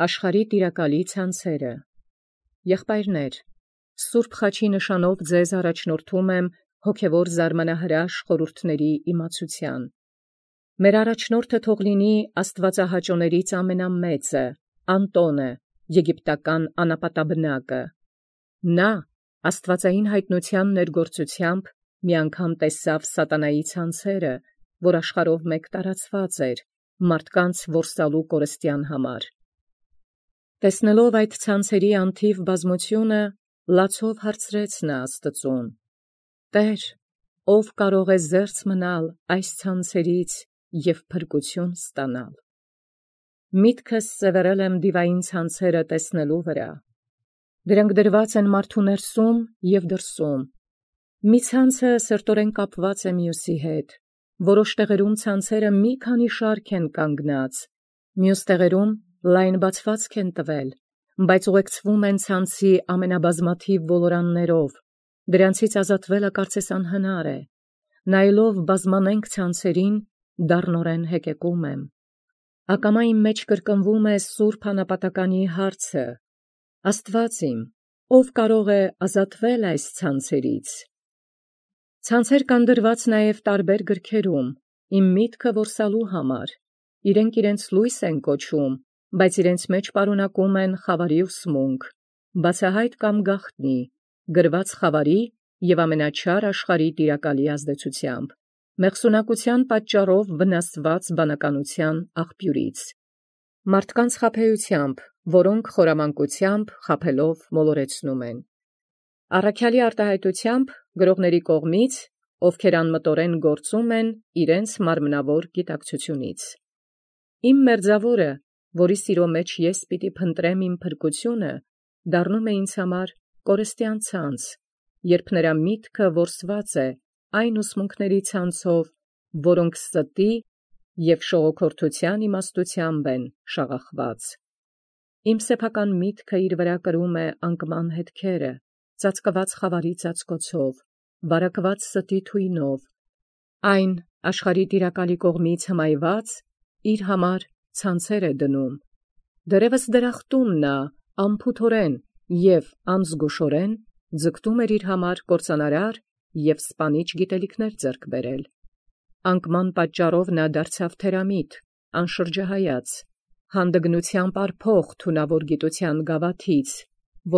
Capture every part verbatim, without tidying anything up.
Աշխարհի տիրակալի ցանցերը։ Եղբայրներ, Սուրբ խաչի նշանով ձեզ առաջնորդում եմ հոգևոր զարմանահրաշ խորհուրդների իմացության։ Մեր առաջնորդը թող լինի աստվածահաճոներից ամենամեծը, Անտոնը, եգիպտական անապատաբնակը։ Նա աստվածային հայտնության ներգործությամբ մի անգամ տեսավ սատանայի ցանցերը, որ աշխարհով մեկ տարածված էր, մարդկանց որսալու կորստյան համար։ Տեսնելով այդ ցանցերի անթիվ բազմությունը, լացով հարցրեց նա Աստծուն. «Տեր, ով կարող է զերծ մնալ այս ցանցերից և փրկություն ստանալ»։ Միտքս սևեռել եմ դիվային ցանցերը տեսնելու վրա։ Դրանք դրված են մարդու ներսում և դրսում։ Մի ցանցը սրտորեն կապված է մյուսի հետ, որոշ տեղերում ցանցերը մի քանի շարք են կանգնած, մյուս տեղերում լայն բացվածք են տվել, բայց ուղեկցվում են ցանցի ամենաբազմաթիվ ոլորաններով, դրանցից ազատվելը կարծես անհնար է։ Նայելով բազմանենք ցանցերին, դառնորեն հեկեկում եմ։ Ակամա իմ մեջ կրկնվում է սուրբ անապատականի հարցը. Աստված իմ, ով կարող է ազատվել այս ցանցերից։ Ցանցեր կան դրված նաև տարբեր գրքերում, իմ միտքը որսալու համար, իրենք իրենց լույս են կոչում, բայց իրենց մեջ պարունակում են խավարի ուսմունք, բացահայտ կամ գաղտնի, գրված խավարի և ամենաչար աշխարհի տիրակալի ազդեցությամբ, մեղսունակության պատճառով վնասված բանականության աղբյուրից, մարդկանց խաբեությամբ, որոնք խորամանկությամբ խաբելով մոլորեցնում են, առաքյալի արտահայտությամբ գրողների կողմից, ովքեր անմտորեն գործում են իրենց մարմնավոր գիտակցությունից։ Իմ մերձավորը, որի սիրո մեջ ես պիտի փնտրեմ իմ փրկությունը, դառնում է ինձ համար կորստյան ցանց, երբ նրա միտքը որսված է այն ուսմունքների ցանցով, որոնք ստի և շողոքորթության իմաստությամբ են շաղախված։ Իմ սեփական միտքը իր վրա կրում է անկման հետքերը, ծածկված խավարի ծածկոցով, վարակված ստի թույնով, այն աշխարհի տիրակալի կողմից հմայված իր համար ցանցեր է դնում։ Դեռևս դրախտում նա անփութորեն և անզգուշորեն ձգտում էր իր համար կործանարար և սպանիչ գիտելիքներ ձեռք բերել։ Անկման պատճառով նա դարձավ թերամիտ, անշրջահայաց, հանդգնությամբ արփող թունավոր գիտության գավաթից,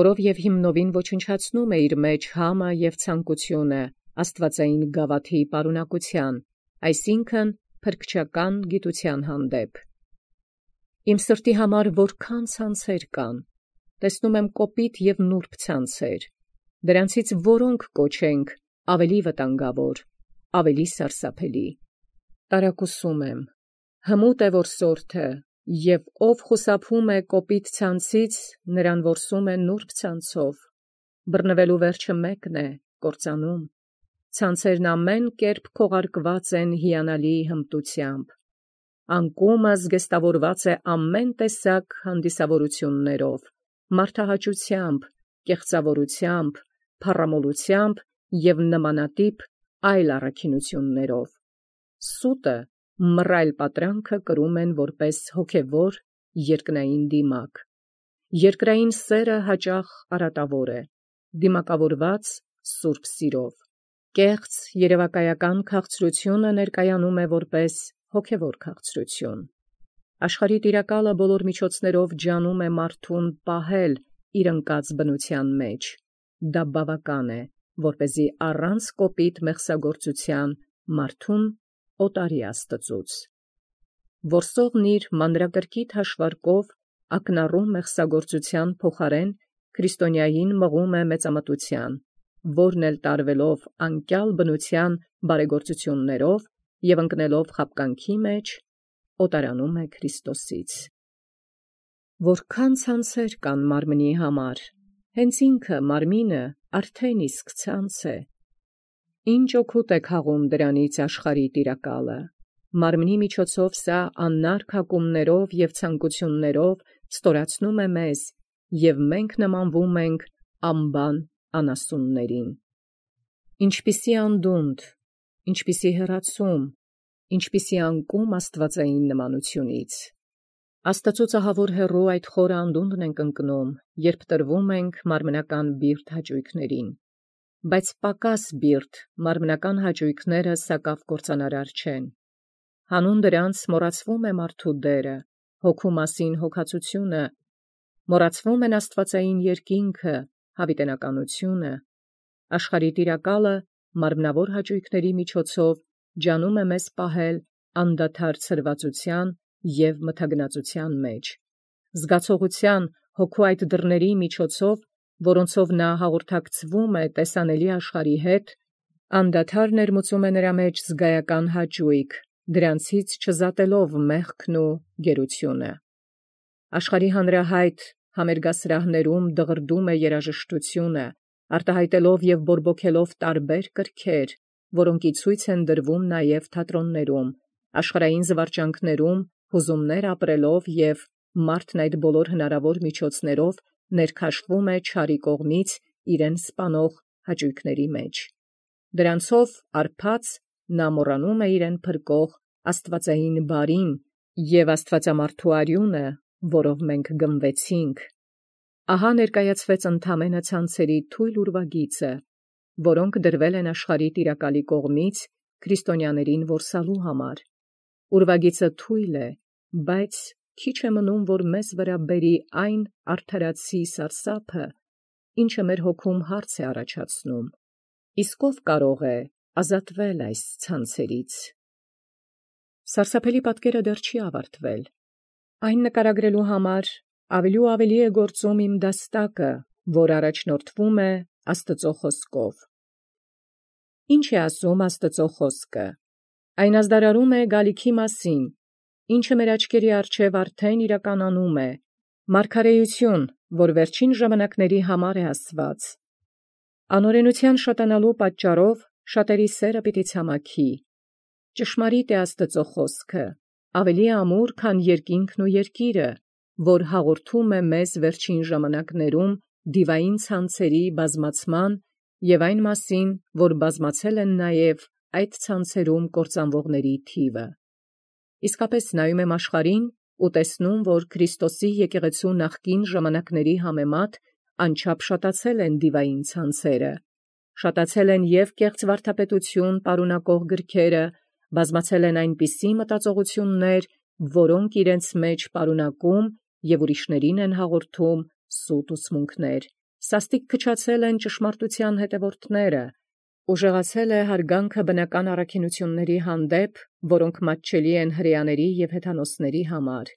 որով և հիմնովին ոչնչացնում է իր մեջ համը և ցանկությունը աստվածային գավաթի պարունակության, այսինքն փրկչական գիտության հանդեպ։ Իմ սրտի համար որքան ցանցեր կան, տեսնում եմ կոպիտ և նուրբ ցանցեր, դրանցից որոնք կոչենք ավելի վտանգավոր, ավելի սարսափելի։ Տարակուսում եմ, հմուտ է որսորդը, և ով խուսափում է կոպիտ ցանցից, նրան որսում է նուրբ ցանցով։ Բռնվելու վերջը մեկն է, կործանում։ Ցանցերն ամեն կերպ քողարկված են հիանալի հմտությամբ։ Անկումը զգեստավորված է ամեն տեսակ հանդիսավորություններով, մարդահաճությամբ, կեղծավորությամբ, փառամոլությամբ և նմանատիպ այլ առաքինություններով։ Սուտը, մռայլ պատրանքը կրում են որպես հոգևոր երկնային դիմակ։ Երկրային սերը հաճախ արատավոր է, դիմակավորված սուրբ սիրով։ Կեղծ երևակայական քաղցրությունը ներկայանում է որպես հոգևոր քաղցրություն։ Աշխարհի տիրակալը բոլոր միջոցներով ջանում է մարդուն պահել իր ընկած բնության մեջ։ Դա բավական է, որպեսզի առանց կոպիտ մեղսագործության մարդուն օտարի Աստծուց։ Որսողն իր մանրակրկիտ հաշվարկով ակնառու մեղսագործության փոխարեն քրիստոնյային մղում է մեծամտության, որն էլ տարվելով անկյալ բնության բարեգործություններով և ընկնելով խաբկանքի մեջ, օտարանում է Քրիստոսից։ Որքան ցանցեր կան մարմնի համար, հենց ինքը մարմինը արդեն իսկ ցանց է։ Ինչ օգուտ է քաղում դրանից աշխարհի տիրակալը։ Մարմնի միջոցով սա աննարք հակումներով և ցանկություններով ստորացնում է մեզ, և մենք նմանվում ենք անբան անասուններին։ Ինչպիսի անդունդ, ինչպիսի հեռացում, ինչպիսի անկում աստվածային նմանությունից։ Աստծոյ հեռու այդ խորը անդունդն ենք ընկնում, երբ տրվում ենք մարմնական բիրտ հաճույքներին, բայց պակաս բիրտ մարմնական հաճույքները սակավ կործանարար չեն։ Հանուն դրանց մոռացվում է մարդու դերը, հոգու մասին հոգացությունը, մոռացվում են աստվածային երկինքը, հավիտենականությունը, աշխարհի տիրակալը մարմնավոր հաճույքների միջոցով ջանում է մեզ պահել անդադար ցրվածության և մթագնածության մեջ, զգացողության հոգու այդ դռների միջոցով, որոնցով նա հաղորդակցվում է տեսանելի աշխարհի հետ, անդադար ներմուծում է նրա մեջ զգայական հաճույք, դրանցից չզատելով մեղքն ու գերությունը։ Աշխարհի հանրահայտ համերգասրահներում դղրդում է երաժշտությունը, արտահայտելով և բորբոքելով տարբեր կրքեր, որոնք ի ցույց են դրվում նաև թատրոններում, աշխարհային զվարճանքներում, հուզումներ ապրելով և մարդն այդ բոլոր հնարավոր միջոցներով ներքաշվում է չարի կողմից իրեն սպանող հաճույքների մեջ։ Դրանցով արբած նա մոռանում է իրեն փրկող աստվածային բարին և աստվածամարդու արյունը, որով մենք գնվեցինք։ Ահա ներկայացվեց ընդամենը ցանցերի թույլ ուրվագիծը, որոնք դրվել են աշխարհի տիրակալի կողմից քրիստոնյաներին որսալու համար։ Ուրվագիծը թույլ է, բայց քիչ է մնում, որ մեզ վրա բերի այն արդարացի սարսափը, ինչը մեր հոգում հարց է առաջացնում. իսկ ո՞վ կարող է ազատվել այս ցանցերից։ Սարսափելի պատկերը դեռ չի ավարտվել։ Այն նկարագրելու համար ավելի ու ավելի է գործում իմ դաստակը, որ առաջնորդվում է Աստծո խոսքով։ Ինչ է ասում Աստծո խոսքը։ Այն ազդարարում է գալիքի մասին, ինչը մեր աչքերի առջև արդեն իրականանում է, մարգարեություն, որ վերջին ժամանակների համար է ասված։ Անօրենության շատանալու պատճառով շատերի սերը պիտի ցամաքի։ Ճշմարիտ է Աստծո խոսքը, ավելի ամուր, քան երկինքն ու երկիրը, որ հաղորդում է մեզ վերջին ժամանակներում դիվային ցանցերի բազմացման և այն մասին, որ բազմացել են նաև այդ ցանցերում կործանվողների թիվը։ Իսկապես նայում եմ աշխարհին ու տեսնում, որ Քրիստոսի եկեղեցու նախկին ժամանակների համեմատ անչափ շատացել են դիվային ցանցերը, շատացել են և կեղծ վարդապետություն պարունակող գրքերը, բազմացել են այնպիսի մտածողություններ, որոնք իրենց մեջ պարունակում և ուրիշներին են հաղորդում սուտ ուսմունքներ, սաստիկ քչացել են ճշմարտության հետևորդները, ուժեղացել է հարգանքը բնական առաքինությունների հանդեպ, որոնք մատչելի են հրեաների և հեթանոսների համար,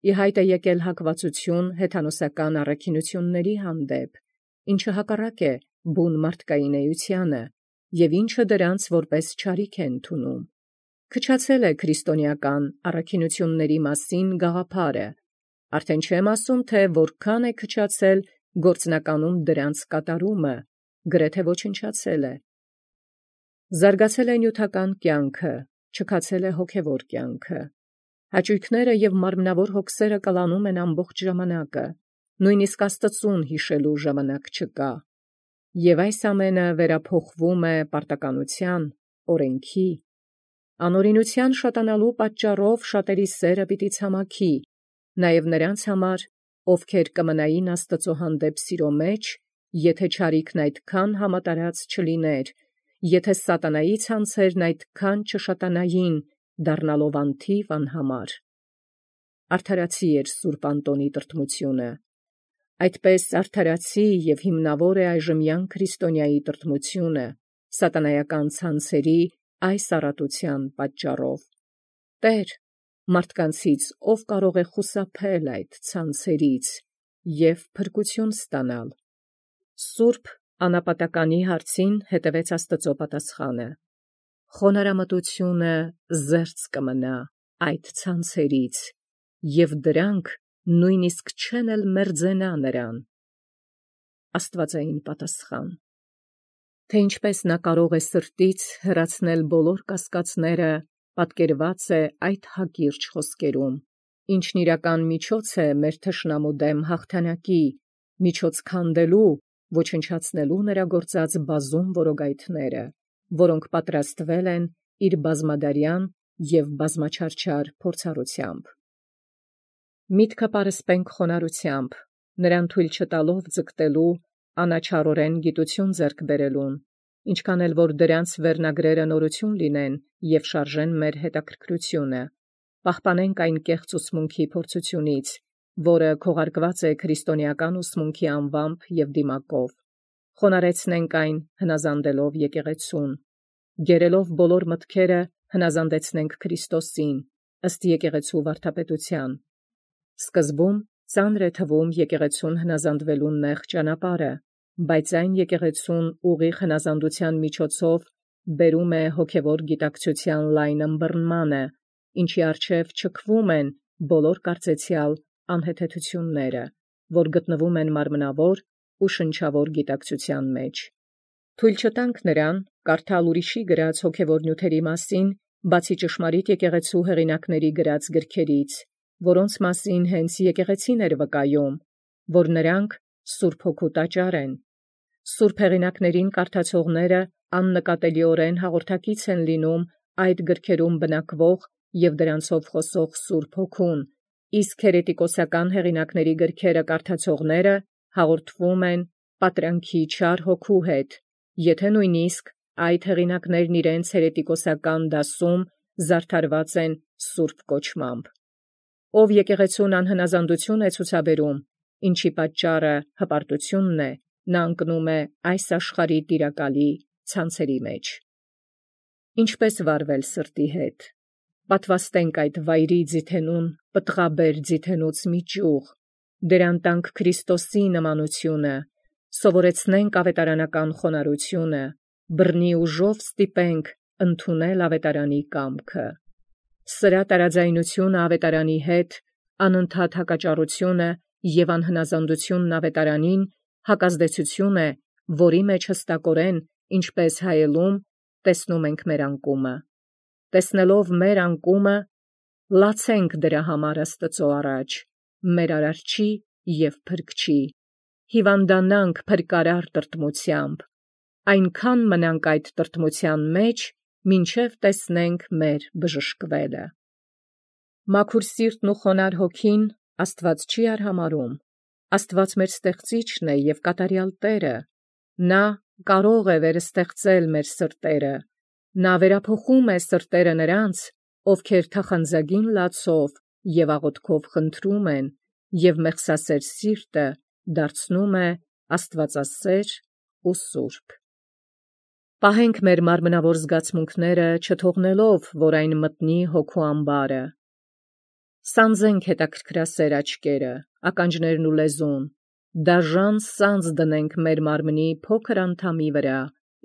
ի հայտ է եկել հակվածություն հեթանոսական առաքինությունների հանդեպ, ինչը հակառակ է բուն մարդկային էությանը, և ինչը դրանց որպես չարիք է ընդունում։ Քչացել է քրիստոնեական առաքինությունների մասին գաղափարը, արդեն չեմ ասում, թե որքան է քչացել գործնականում դրանց կատարումը, գրեթե ոչնչացել է։ Զարգացել է նյութական կյանքը, չքացել է հոգևոր կյանքը։ Հաճույքները և մարմնավոր հոգսերը կլանում են ամբողջ ժամանակը, նույնիսկ Աստծուն հիշելու ժամանակ չկա։ Եվ այս ամենը վերափոխվում է պարտականության, օրենքի։ Անօրենության շատանալու պատճառով շատերի սերը պիտի ցամաքի, նաև նրանց համար, ովքեր կմնային Աստծո հանդեպ սիրո մեջ, եթե չարիքն այդքան համատարած չլիներ, եթե սատանայի ցանցերն այդքան չշատանային, դառնալով անթիվ անհամար։ Արդարացի էր սուրբ Անտոնի տրտմությունը։ Այդպես արդարացի և հիմնավոր է այժմյան քրիստոնյայի տրտմությունը, սատանայական ցանցերի այս առատության պատճառով։ Տեր, մարդկանցից ով կարող է խուսափել այդ ցանցերից և փրկություն ստանալ։ Սուրբ անապատականի հարցին հետևեց Աստծո պատասխանը. խոնարհամտությունը զերծ կմնա այդ ցանցերից, և դրանք նույնիսկ չեն էլ մերձենա նրան։ Աստվածային պատասխան։ Թե ինչպես նա կարող է սրտից հեռացնել բոլոր կասկածները, պատկերված է այդ հակիրճ խոսքերում, ինչն իրական միջոց է մեր թշնամու դեմ հաղթանակի, միջոց քանդելու, ոչնչացնելու նրա գործած բազում որոգայթները, որոնք պատրաստվել են իր բազմադարյան և բազմաչարչար փորձառությամբ։ Միտքը պարսպենք խոնարհությամբ, նրան թույլ չտալով ձգտելու անաչառորեն գիտություն ձեռք բերելուն, ինչքան էլ որ դրանց վերնագրերը նորություն լինեն եւ շարժեն մեր հետաքրքրությունը, պահպանենք այն կեղծ ուսմունքի փորձությունից, որը քողարկված է քրիստոնեական ուսմունքի անվամբ եւ դիմակով, խոնարեցնենք այն հնազանդելով եկեղեցուն, գերելով բոլոր մտքերը հնազանդեցնենք Քրիստոսին, ըստ եկեղեցու վարդապետության. Սկզբում ծանր է թվում եկեղեցուն հնազանդվելուն նեղ ճանապարհը, բայց այն եկեղեցուն ուղիղ հնազանդության միջոցով բերում է հոգևոր գիտակցության լայն ըմբռնմանը, ինչի առջև չքվում են բոլոր կարծեցյալ անհեթեթությունները, որ գտնվում են մարմնավոր ու շնչավոր գիտակցության մեջ։ Թույլ չտանք նրան կարդալ ուրիշի գրած հոգևոր նյութերի մասին, բացի ճշմարիտ եկեղեցու հեղինակների գրած գրքերից, որոնց մասին հենց եկեղեցին էր վկայում, որ նրանք Սուրբ Հոգու տաճար են։ Սուրբ հեղինակներին կարդացողները աննկատելիորեն հաղորդակից են լինում այդ գրքերում բնակվող եւ դրանցով խոսող Սուրբ Հոգուն, իսկ հերետիկոսական հեղինակների գրքերը կարդացողները հաղորդվում են պատրանքի չար հոգու հետ, եթե նույնիսկ այդ հեղինակներն իրենց հերետիկոսական դասում զարդարված են սուրբ կոչմամբ։ Ով եկեղեցուն անհնազանդություն է ցուցաբերում, ինչի պատճառը հպարտությունն է, նա ընկնում է այս աշխարհի տիրակալի ցանցերի մեջ։ Ինչպես վարվել սրտի հետ։ Պատվաստենք այդ վայրի ձիթենուն պտղաբեր ձիթենուց մի ճյուղ, դրան տանք Քրիստոսի նմանությունը, սովորեցնենք ավետարանական խոնարհությունը, բռնի ուժով ստիպենք ընդունել ավետարանի կամքը։ Սրա տարաձայնությունը ավետարանի հետ, անընդհատ հակաճառությունը եւ անհնազանդությունն ավետարանին հակազդեցություն է, որի մեջ հստակորեն, ինչպես հայելում, տեսնում ենք մեր անկումը։ Տեսնելով մեր անկումը, լացենք դրա համար Աստծո առաջ, մեր արարչի եւ փրկչի, հիվանդանանք փրկարար տրտմությամբ, այնքան մնանք այդ տրտմության մեջ, մինչև տեսնենք մեր բժշկվելը։ Մաքուր սիրտն ու խոնար հոգին Աստված չի արհամարհում։ Աստված մեր ստեղծիչն է եւ կատարյալ Տերը։ Նա կարող է վերստեղծել մեր սրտերը։ Նա վերափոխում է սրտերը նրանց, ովքեր թախանձագին լացով եւ աղոթքով խնդրում են, եւ մեղսասեր սիրտը դարձնում է աստվածասեր ու սուրբ։ Պահենք մեր մարմնավոր զգացմունքները, չթողնելով, որ այն մտնի հոգու ամբարը։ Սանձենք հետաքրքրասեր աչքերը, ականջներն ու լեզուն, դաժան սանձ դնենք մեր մարմնի փոքր անդամի վրա,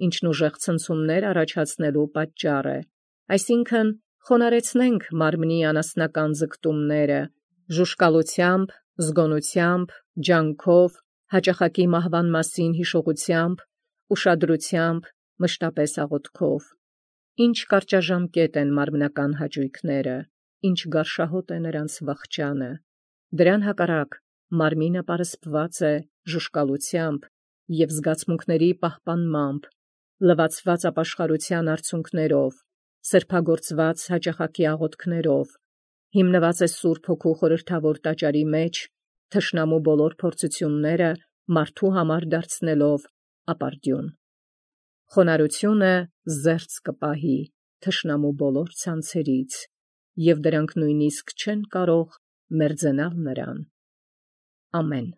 ինչն ուժեղ ցնցումներ առաջացնելու պատճառ է, այսինքն խոնարեցնենք մարմնի անասնական ձգտումները, ժուշկալությամբ, զգոնությամբ, ջանքով, հաճախակի մահվան մասին հիշողությամբ, ուշադրությամբ, մշտապես աղոթքով։ Ինչ կարճաժամկետ են մարմնական հաճույքները, ինչ գարշահոտ է նրանց վախճանը։ Դրան հակառակ մարմինը պարսպված է ժուշկալությամբ եւ զգացմունքների պահպանմամբ, լվացված ապաշխարության արցունքներով, սրբագործված հաճախակի աղոթքներով, հիմնված է Սուրբ Հոգու խորհրդավոր տաճարի մեջ, թշնամու բոլոր փորձությունները մարդու համար դարձնելով ապարդյուն։ Խոնարհությունը զերծ կպահի թշնամու բոլոր ցանցերից, եւ դրանք նույնիսկ չեն կարող մերձենալ նրան։ Ամեն։